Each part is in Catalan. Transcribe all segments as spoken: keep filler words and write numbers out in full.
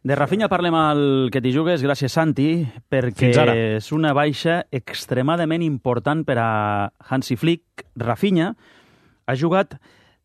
De Rafinha parlem al Que t'hi jugues, gràcies Santi, perquè és una baixa extremadament important per a Hansi Flick. Rafinha ha jugat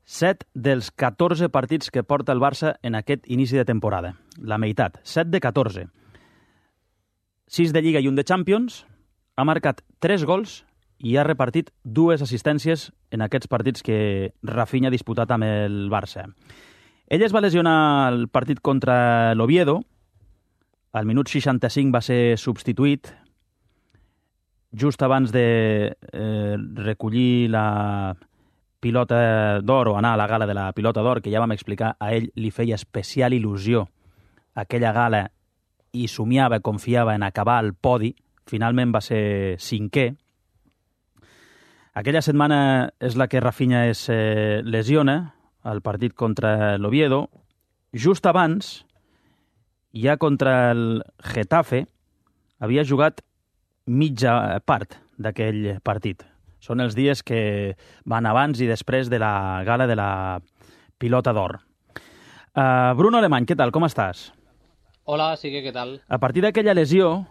set dels catorze partits que porta el Barça en aquest inici de temporada. La meitat, set de catorze. sis de Lliga i un de Champions, ha marcat tres gols i ha repartit dues assistències en aquests partits que Rafinha ha disputat amb el Barça. Ell es va lesionar el partit contra l'Oviedo, al minut seixanta-cinc va ser substituït, just abans de eh, recollir la pilota d'or o anar a la gala de la pilota d'or, que ja vam explicar, a ell li feia especial il·lusió aquella gala i somiava, confiava en acabar al podi, finalment va ser cinquè. Aquella setmana és la que Rafinha es eh, lesiona, el partit contra l'Oviedo. Just abans, ja contra el Getafe, havia jugat mitja part d'aquell partit. Són els dies que van abans i després de la gala de la pilota d'or. Uh, Bruno Alemany, què tal? Com estàs? Hola, sí que què tal? A partir d'aquella lesió,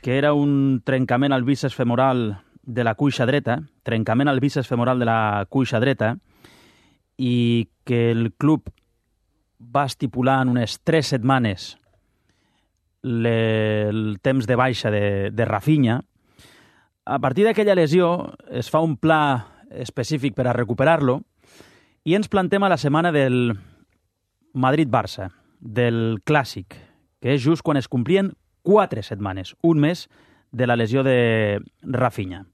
que era un trencament al bíceps femoral de la cuixa dreta, trencament al bíceps femoral de la cuixa dreta, i que el club va estipular en unes tres setmanes le, el temps de baixa de, de Rafinha. A partir d'aquella lesió es fa un pla específic per a recuperar-lo i ens plantem a la setmana del Madrid-Barça, del Clàssic, que és just quan es complien quatre setmanes, un mes de la lesió de Rafinha.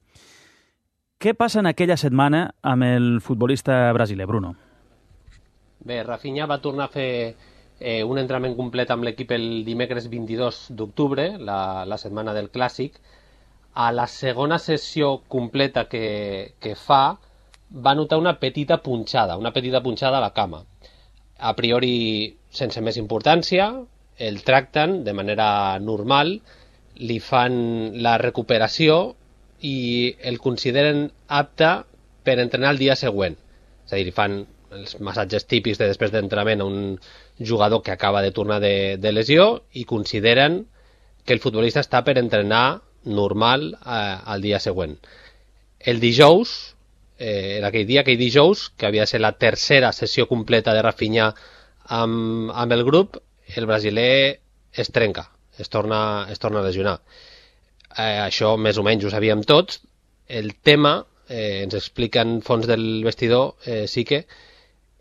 Què passa en aquella setmana amb el futbolista brasiler, Bruno? Bé, Rafinha va tornar a fer eh, un entrenament complet amb l'equip el dimecres vint-i-dos d'octubre, la, la setmana del Clàssic. A la segona sessió completa que, que fa, va notar una petita punxada, una petita punxada a la cama. A priori, sense més importància, el tracten de manera normal, li fan la recuperació i el consideren apte per entrenar el dia següent. És a dir, fan els massatges típics de després d'entrenament a un jugador que acaba de tornar de, de lesió i consideren que el futbolista està per entrenar normal eh, al dia següent. El dijous, eh, en aquell dia, aquell dijous, que havia de ser la tercera sessió completa de Rafinha amb, amb el grup, el brasiler es trenca, es torna, es torna a lesionar. Eh, això més o menys ho sabíem tots. El tema, eh, ens expliquen fons del vestidor, eh, sí que,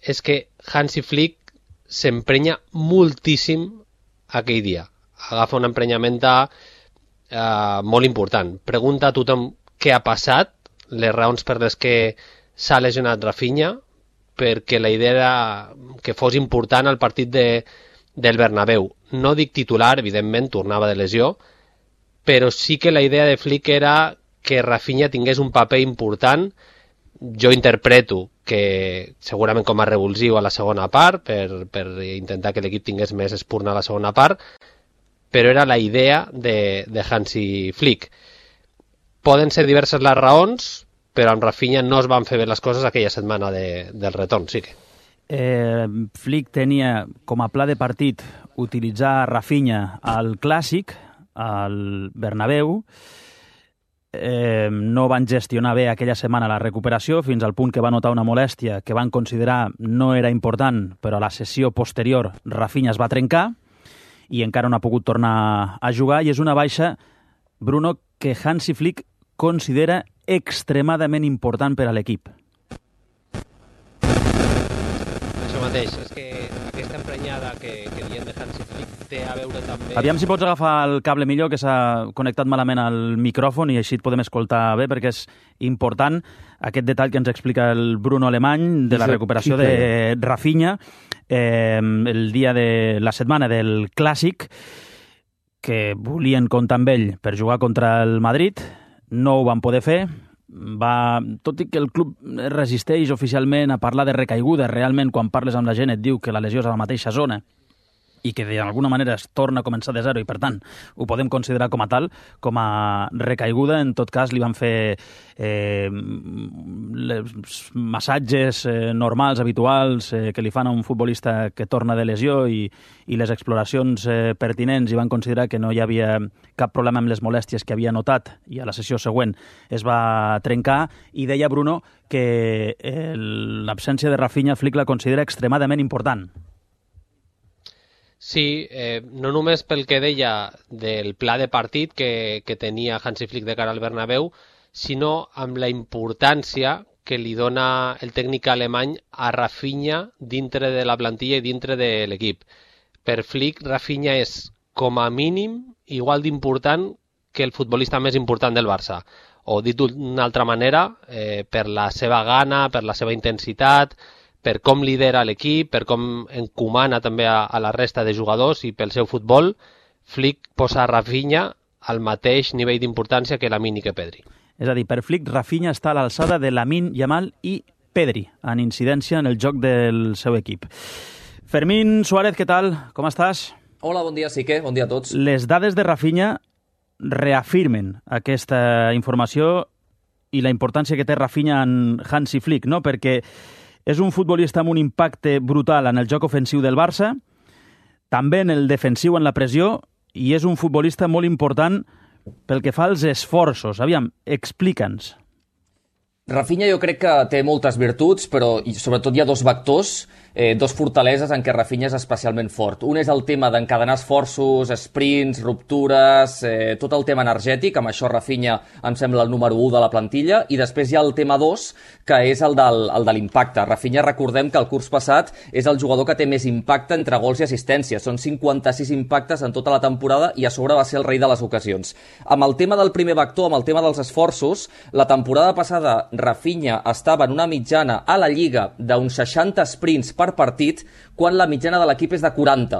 és que Hansi Flick s'emprenya moltíssim aquell dia. Agafa una emprenyamenta eh, molt important. Pregunta a tothom què ha passat, les raons per les que s'ha lesionat Rafinha, perquè la idea era que fos important el partit de, del Bernabéu. No dic titular, evidentment, tornava de lesió, però sí que la idea de Flick era que Rafinha tingués un paper important. Jo interpreto que segurament com a revulsiu a la segona part, per, per intentar que l'equip tingués més espurna a la segona part, però era la idea de, de Hansi Flick. Poden ser diverses les raons, però amb Rafinha no es van fer bé les coses aquella setmana de, del retorn, sí que. Eh, Flick tenia com a pla de partit utilitzar Rafinha al Clàssic, al Bernabéu. Eh, no van gestionar bé aquella setmana la recuperació, fins al punt que va notar una molèstia que van considerar no era important, però a la sessió posterior Rafinha es va trencar i encara no ha pogut tornar a jugar, i és una baixa, Bruno, que Hansi Flick considera extremadament important per a l'equip. Això mateix, és que aquesta emprenyada que, que diem de Hansi Flick té a veure també... Aviam si pots agafar el cable millor, que s'ha connectat malament al micròfon i així et podem escoltar bé, perquè és important aquest detall que ens explica el Bruno Alemany de la recuperació de Rafinha eh, el dia de la setmana del Clàssic, que volien comptar amb ell per jugar contra el Madrid, no ho van poder fer. Va, tot i que el club resisteix oficialment a parlar de recaiguda, realment quan parles amb la gent et diu que la lesió és a la mateixa zona i que d'alguna manera es torna a començar de zero i, per tant, ho podem considerar com a tal, com a recaiguda. En tot cas, li van fer eh, les massatges eh, normals, habituals, eh, que li fan a un futbolista que torna de lesió i, i les exploracions eh, pertinents, i van considerar que no hi havia cap problema amb les molèsties que havia notat, i a la sessió següent es va trencar. I deia Bruno que eh, l'absència de Rafinha Flick la considera extremadament important. Sí, eh, no només pel que deia del pla de partit que, que tenia Hansi Flick de cara al Bernabéu, sinó amb la importància que li dona el tècnic alemany a Rafinha dintre de la plantilla i dintre de l'equip. Per Flick, Rafinha és, com a mínim, igual d'important que el futbolista més important del Barça. O dit d'una altra manera, eh, per la seva gana, per la seva intensitat, per com lidera l'equip, per com encomana també a, a la resta de jugadors i pel seu futbol, Flick posa Rafinha al mateix nivell d'importància que Lamine i que Pedri. És a dir, per Flick, Rafinha està a l'alçada de Lamine Yamal i Pedri, en incidència en el joc del seu equip. Fermín Suárez, què tal? Com estàs? Hola, bon dia, Sique. Bon dia a tots. Les dades de Rafinha reafirmen aquesta informació i la importància que té Rafinha en Hansi Flick, no? Perquè és un futbolista amb un impacte brutal en el joc ofensiu del Barça, també en el defensiu, en la pressió, i és un futbolista molt important pel que fa als esforços. Aviam, explica'ns. Rafinha jo crec que té moltes virtuts, però sobretot hi ha dos vectors, eh, dos fortaleses en què Rafinha és especialment fort. Un és el tema d'encadenar esforços, sprints, ruptures, eh, tot el tema energètic, amb això Rafinha em sembla el número u de la plantilla, i després hi ha el tema dos, que és el, del, el de l'impacte. Rafinha, recordem que el curs passat és el jugador que té més impacte entre gols i assistències. Són cinquanta-sis impactes en tota la temporada i a sobre va ser el rei de les ocasions. Amb el tema del primer vector, amb el tema dels esforços, la temporada passada Rafinha estava en una mitjana a la Lliga d'uns seixanta sprints per partit, quan la mitjana de l'equip és de quaranta.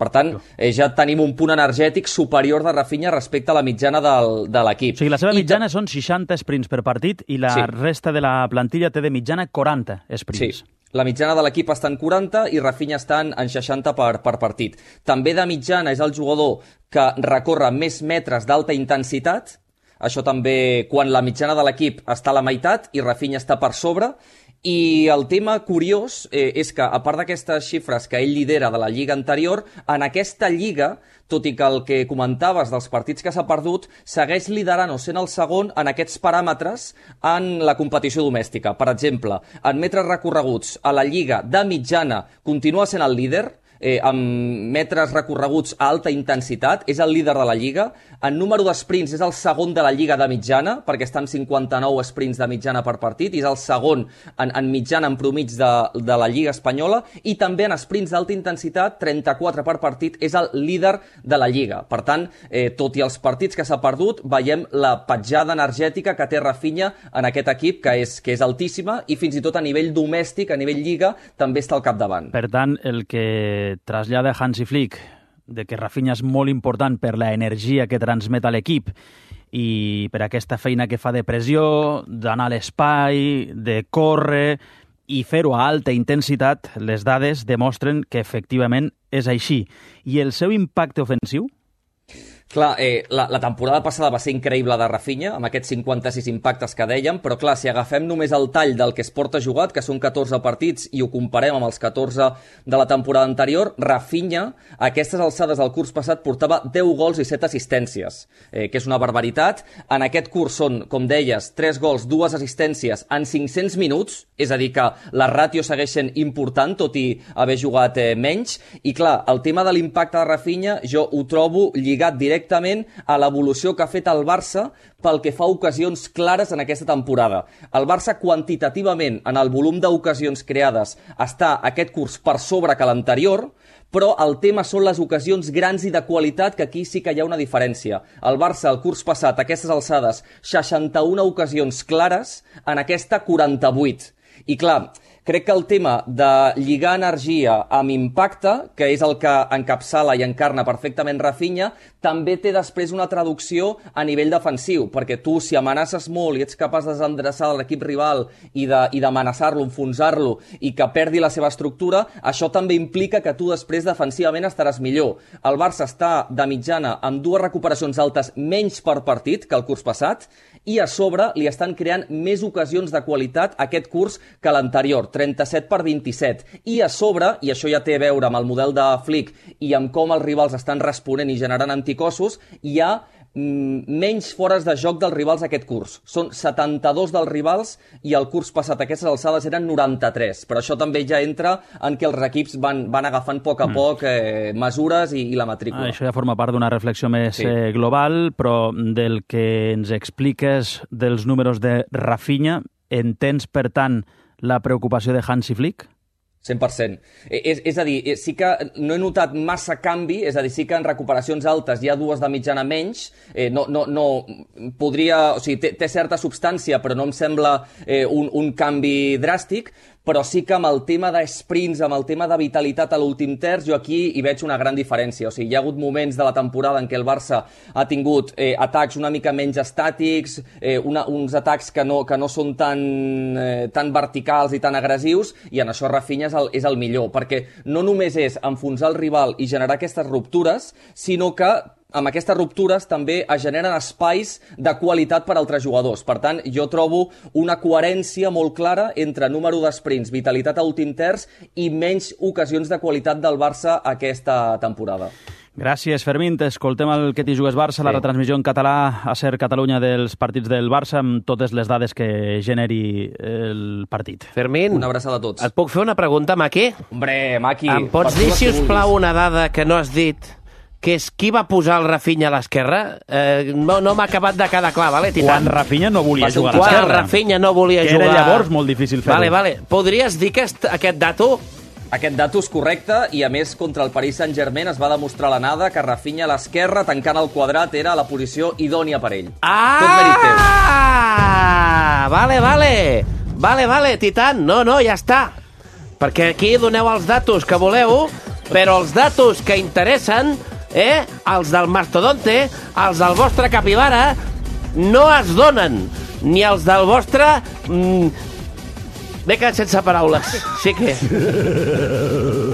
Per tant, eh, ja tenim un punt energètic superior de Rafinha respecte a la mitjana del, de l'equip. O sigui, la seva mitjana I... són seixanta sprints per partit i la sí. resta de la plantilla té de mitjana quaranta sprints. Sí. La mitjana de l'equip està en quaranta i Rafinha està en seixanta per, per partit. També de mitjana és el jugador que recorre més metres d'alta intensitat. Això també quan la mitjana de l'equip està a la meitat i Rafinha està per sobre. I el tema curiós eh, és que, a part d'aquestes xifres que ell lidera de la lliga anterior, en aquesta lliga, tot i que el que comentaves dels partits que s'ha perdut, segueix liderant o sent el segon en aquests paràmetres en la competició domèstica. Per exemple, en metres recorreguts a la lliga de mitjana continua sent el líder, eh, amb metres recorreguts a alta intensitat, és el líder de la Lliga. En número d'esprints és el segon de la Lliga de mitjana, perquè està en cinquanta-nou esprints de mitjana per partit, i és el segon en, en mitjana, en promig de, de la Lliga espanyola, i també en esprints d'alta intensitat, trenta-quatre per partit, és el líder de la Lliga. Per tant, eh, tot i els partits que s'ha perdut, veiem la petjada energètica que té Rafinha en aquest equip, que és, que és altíssima, i fins i tot a nivell domèstic, a nivell Lliga, també està al capdavant. Per tant, el que trasllada Hansi Flick, de que Rafinha és molt important per la energia que transmet a l'equip i per aquesta feina que fa de pressió, d'anar a l'espai, de córrer i fer-ho a alta intensitat, les dades demostren que efectivament és així. I el seu impacte ofensiu? Clar, eh, la, la temporada passada va ser increïble de Rafinha, amb aquests cinquanta-sis impactes que dèiem, però clar, si agafem només el tall del que es porta jugat, que són catorze partits, i ho comparem amb els catorze de la temporada anterior, Rafinha, a aquestes alçades del curs passat, portava deu gols i set assistències, eh, que és una barbaritat. En aquest curs són, com deies, tres gols, dues assistències en cinc-cents minuts, és a dir, que la ràtio segueix sent important, tot i haver jugat eh, menys, i clar, el tema de l'impacte de Rafinha jo ho trobo lligat directament directament a l'evolució que ha fet el Barça pel que fa a ocasions clares en aquesta temporada. El Barça quantitativament en el volum d'ocasions creades està aquest curs per sobre que l'anterior, però el tema són les ocasions grans i de qualitat, que aquí sí que hi ha una diferència. El Barça el curs passat, a aquestes alçades, seixanta-una ocasions clares, en aquesta quaranta-vuit. I clar, Crec que el tema de lligar energia amb impacte, que és el que encapçala i encarna perfectament Rafinha, també té després una traducció a nivell defensiu, perquè tu, si amenaces molt i ets capaç de desendreçar l'equip rival i d'amenaçar-lo, enfonsar-lo i que perdi la seva estructura, això també implica que tu després defensivament estaràs millor. El Barça està de mitjana amb dues recuperacions altes menys per partit que el curs passat i a sobre li estan creant més ocasions de qualitat aquest curs que l'anterior, trenta-set per vint-i-set. I a sobre, i això ja té a veure amb el model de Flick i amb com els rivals estan responent i generant anticossos, hi ha menys fores de joc dels rivals aquest curs. Són setanta-dos dels rivals i el curs passat a aquestes alçades eren noranta-tres. Però això també ja entra en què els equips van, van agafant a poc a poc eh, mesures i, i la matrícula. Ah, això ja forma part d'una reflexió més sí. eh, global, però del que ens expliques dels números de Rafinha, entens, per tant, la preocupació de Hansi Flick? cent per cent. És, és a dir, sí que no he notat massa canvi, és a dir, sí que en recuperacions altes hi ha dues de mitjana menys, eh, no, no, no podria, o sigui, té, té certa substància, però no em sembla eh, un, un canvi dràstic, però sí que amb el tema de sprints, amb el tema de vitalitat a l'últim terç, jo aquí hi veig una gran diferència. O sigui, hi ha hagut moments de la temporada en què el Barça ha tingut eh, atacs una mica menys estàtics, eh, una, uns atacs que no, que no són tan, eh, tan verticals i tan agressius, i en això Rafinha és el, és el millor, perquè no només és enfonsar el rival i generar aquestes ruptures, sinó que amb aquestes ruptures també es generen espais de qualitat per a altres jugadors. Per tant, jo trobo una coherència molt clara entre número d'esprints, vitalitat a últim terç i menys ocasions de qualitat del Barça aquesta temporada. Gràcies, Fermín. T'escoltem el Que t'hi jugues Barça, sí. La retransmissió en català a Ser Catalunya dels partits del Barça, amb totes les dades que generi el partit. Fermín, una abraçada a tots. Et puc fer una pregunta, Maki? Hombre, Maki. Em pots dir, si us plau, una dada que no has dit, que és qui va posar el Rafinha a l'esquerra? Eh, no no m'ha acabat de quedar clar, vale, Titan? Quan Rafinha no volia jugar a l'esquerra. Quan Rafinha no volia que jugar... era llavors molt difícil fer-ho. Vale, vale. Podries dir que aquest dato... Aquest dato és correcte i, a més, contra el Paris Saint-Germain es va demostrar a l'anada que Rafinha a l'esquerra, tancant el quadrat, era la posició idònia per ell. Ah! Tot mèrit teu. Vale, vale. Vale, vale, Titan. No, no, ja està. Perquè aquí doneu els datos que voleu, però els datos que interessen, eh, els del mastodonte, els del vostre capibara, no es donen. Ni els del vostre... Mm, M'he quedat sense paraules. Sí que...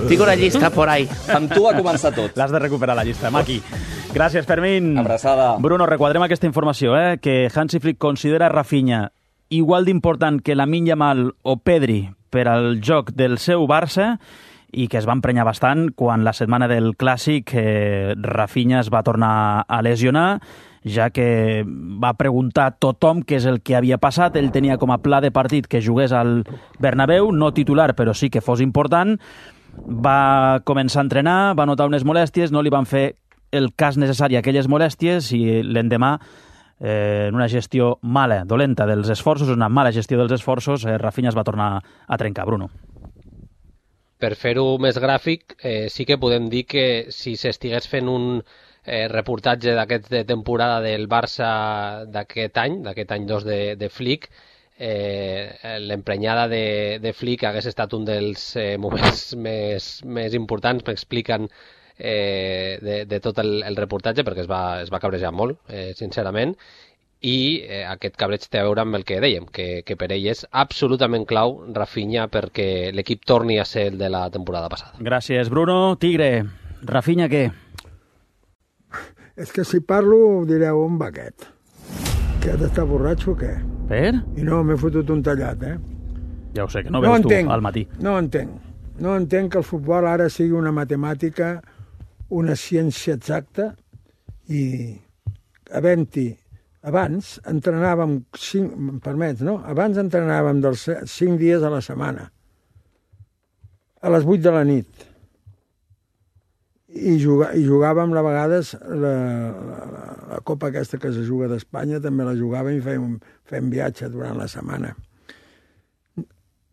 Tinc una llista por ahí. Amb tu ha començat tot. L'has de recuperar, la llista, Maki. Gràcies, Fermín. Abraçada. Bruno, requadrem aquesta informació, eh? Que Hansi Flick considera Rafinha igual d'important que Lamine Yamal o Pedri per al joc del seu Barça i que es va emprenyar bastant quan la setmana del Clàssic eh, Rafinha es va tornar a lesionar, ja que va preguntar a tothom què és el que havia passat. Ell tenia com a pla de partit que jugués al Bernabéu, no titular, però sí que fos important. Va començar a entrenar, va notar unes molèsties, no li van fer el cas necessari a aquelles molèsties i l'endemà, eh, en una gestió mala, dolenta dels esforços, una mala gestió dels esforços, eh, Rafinha es va tornar a trencar. Bruno. Per fer-ho més gràfic, eh, sí que podem dir que si s'estigués fent un eh, reportatge d'aquest de temporada del Barça d'aquest any, d'aquest any dos de, de Flick, eh, l'emprenyada de, de Flick hagués estat un dels eh, moments més, més importants, m'expliquen, eh, de, de tot el, el reportatge, perquè es va, es va cabrejar molt, eh, sincerament, i eh, aquest cabreig té a veure amb el que dèiem, que, que per ell és absolutament clau Rafinha perquè l'equip torni a ser el de la temporada passada. Gràcies, Bruno. Tigre, Rafinha què? És que si parlo direu, on va aquest? Que ha d'estar borratxo o què? Per? I no, m'he fotut un tallat, eh? Ja ho sé, que no, no veus entenc, tu al matí. No entenc. No entenc que el futbol ara sigui una matemàtica, una ciència exacta, i havent-hi abans entrenàvem, cinc, em permets, no? Abans entrenàvem dels cinc dies a la setmana, a les vuit de la nit. I, juga, i jugàvem a vegades la, la, la Copa aquesta que se juga d'Espanya, també la jugàvem i fèiem, fèiem viatge durant la setmana.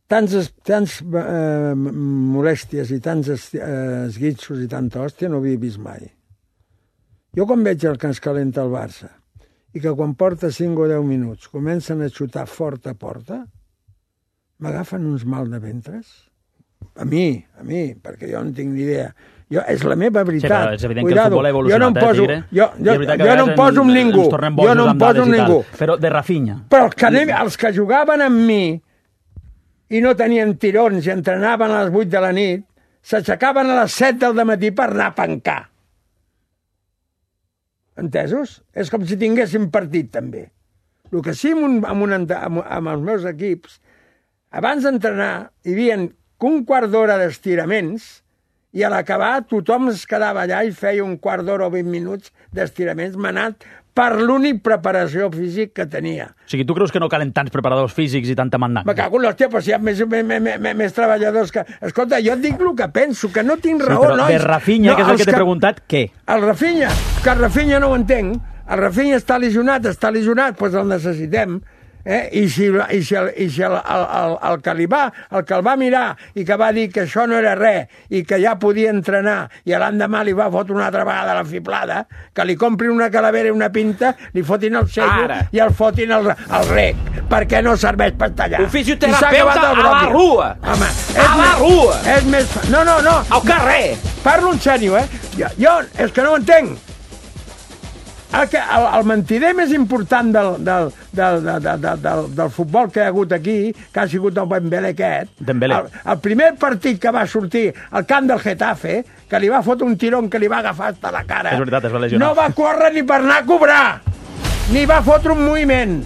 Tants, tants eh, molèsties i tants eh, esguitxos i tanta hòstia no havia vist mai. Jo quan veig el que ens calenta el Barça i que quan porta cinc o deu minuts comencen a xutar fort a porta, m'agafen uns mal de ventres. A mi, a mi, perquè jo no tinc ni idea. Jo, és la meva veritat. Sí, és evident Cuidado. Que el futbol ha evolucionat, jo no em poso, eh, Tigre? Jo, jo, jo no em poso amb ningú. Jo no em poso amb ningú. Però de Rafinha. Però els que, anem, els que jugaven amb mi i no tenien tirons i entrenaven a les vuit de la nit, s'aixecaven a les set del dematí per anar a pencar. Entesos? És com si tinguéssim partit, també. El que sí, amb, un, amb, un, amb, amb els meus equips, abans d'entrenar, hi havia un quart d'hora d'estiraments i a l'acabar tothom es quedava allà i feia un quart d'hora o vint minuts d'estiraments manat per l'únic preparació físic que tenia. O sigui, tu creus que no calen tants preparadors físics i tanta mandanga? Me cago en l'hòstia, però si hi ha més, més, més, més treballadors que... Escolta, jo et dic el que penso, que no tinc raó, sí, però nois. De Rafinha, no, que és el que t'he que... preguntat, què? El Rafinha, que el Rafinha no ho entenc. El Rafinha està lesionat, està lesionat, doncs el necessitem. Eh? I si, i si, el, i si el, el, el, el, que li va, el que el va mirar i que va dir que això no era res i que ja podia entrenar i l'endemà li va fotre una altra vegada la fiblada, que li comprin una calavera i una pinta, li fotin el sello Ara. i el fotin el, el rec, perquè no serveix per tallar. Un fisioterapeuta a la rua. Home, a la rua. És més... No, no, no. Al carrer. Parlo en sèrio, eh? Jo, jo és que no ho entenc. El, que, el, el mentider més important del, del, del, del, del, del, del futbol que hi ha hagut aquí, que ha sigut el Dembélé aquest, Dembélé. El, el primer partit que va sortir al camp del Getafe, que li va fotre un tirón que li va agafar hasta la cara, és veritat, es va lesionar. No va córrer ni per anar a cobrar, ni va fotre un moviment.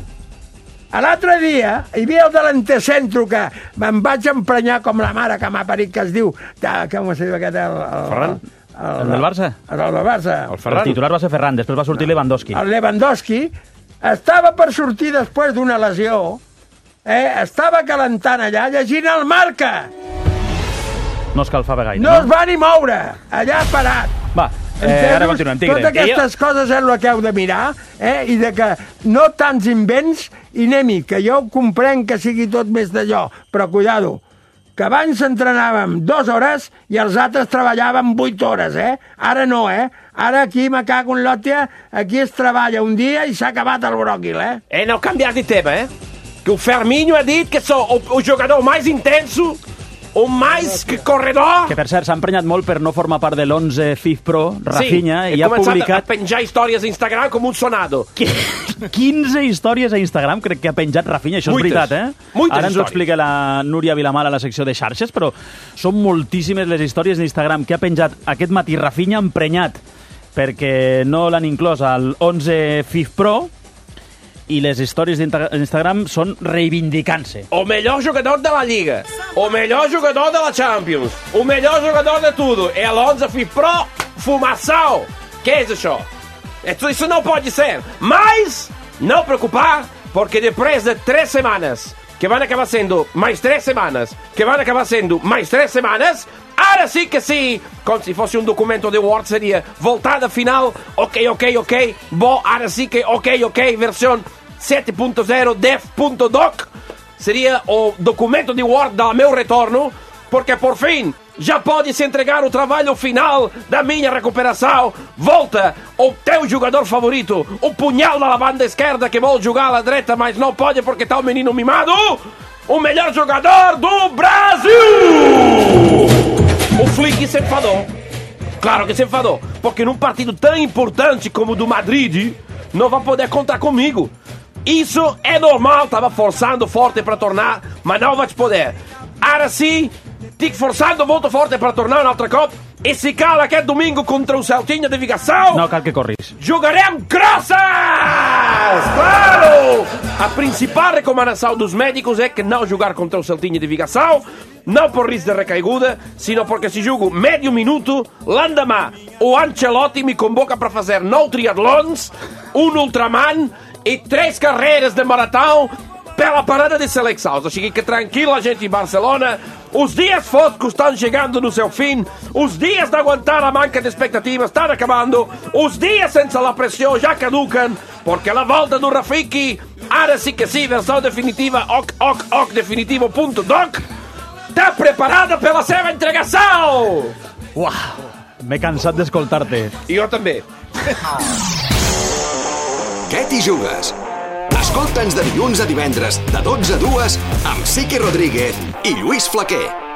L'altre dia hi havia el delantecentro que me'n vaig emprenyar com la mare que m'ha parit, que es diu... Com es diu aquest? El, el, Ferran? El, el del Barça? El del Barça. El, el titular va ser Ferran, després va sortir no. Lewandowski. El Lewandowski estava per sortir després d'una lesió, eh? Estava calentant allà, llegint el Marca. No escalfava gaire, no? No es no? va ni moure, allà parat. Va, eh, ara continuem, Tigre. Totes aquestes jo... coses és el que heu de mirar, eh? I de que no tants invents, i anem-hi, que jo comprenc que sigui tot més d'allò, però cuidado, que abans entrenàvem dues hores i els altres treballàvem vuit hores, eh? Ara no, eh? Ara aquí me cago en l'òtia, aquí es treballa un dia i s'ha acabat el bròquil, eh? Eh, não cambiar de tema, eh? Que o Ferminho ha dit que sou o, o jogador mais intenso, o mais que corredor... Que, per cert, s'ha emprenyat molt per no formar part de l'onze F I F Pro, Rafinha, sí, i ha publicat... a penjar històries a Instagram com un sonado. quinze històries a Instagram crec que ha penjat Rafinha, això Muites. És veritat, eh? Muites Ara ens ho explica la Núria Vilamala a la secció de xarxes, però són moltíssimes les històries d'Instagram que ha penjat aquest matí Rafinha emprenyat perquè no l'han inclòs al onze F I F Pro, i les històries d'Instagram són reivindicant-se. O melhor jogador da La Liga, o melhor jogador da La Champions, o melhor jogador de tudo. É a onze F I F Pro, fumação. Que é isso? Isso não pode ser. Mas, não preocupar, porque depois de três semanas, que vão acabar sendo mais três semanas, que vão acabar sendo mais três semanas, ahora sí que sí, como si fosse un documento de Word, sería voltada final, ok, ok, ok, bo, ahora sí que ok, ok, versión sete ponto zero, def ponto doc, seria o documento de Word do meu retorno, porque por fim já pode-se entregar o trabalho final da minha recuperação. Volta o teu jogador favorito, o punhal na banda esquerda que vou jogar à direita, mas não pode porque está o menino mimado, o melhor jogador do Brasil! O Flick se enfadou. Claro que se enfadou, porque num partido tão importante como o do Madrid, não vai poder contar comigo. Isso é normal, estava forçando forte para tornar, mas não vai poder. Agora sim, estic forçando muito forte para tornar una altra cop, e se cala aquest domingo contra o Celtinha de Vigassau... No cal que corris. Jogarem crosses! Claro! A principal recomendação dos médicos é que não jogar contra o Celtinha de Vigassau, não por risco de recaiguda, sino porque se jogo medio minuto, l'endemà o Ancelotti me convoca para fazer nou triatlons, un ultraman e três carreiras de maratão pela parada de seleção. Cheguei que tranquila, gente, em Barcelona. Os dias foscos estão chegando no seu fim. Os dias de aguentar a manca de expectativas estão acabando. Os dias sem a pressão já caducam, porque a volta do Rafiki, agora sim que sim, versão definitiva, ok, ok, ok, definitivo ponto doc, está preparada pela seva entregação. Uau, m'he cansat d'escoltar-te. I jo també. Què t'hi jugues? Escolta'ns de dilluns a divendres, de dotze a dues, amb Siqui Rodríguez i Lluís Flaquer.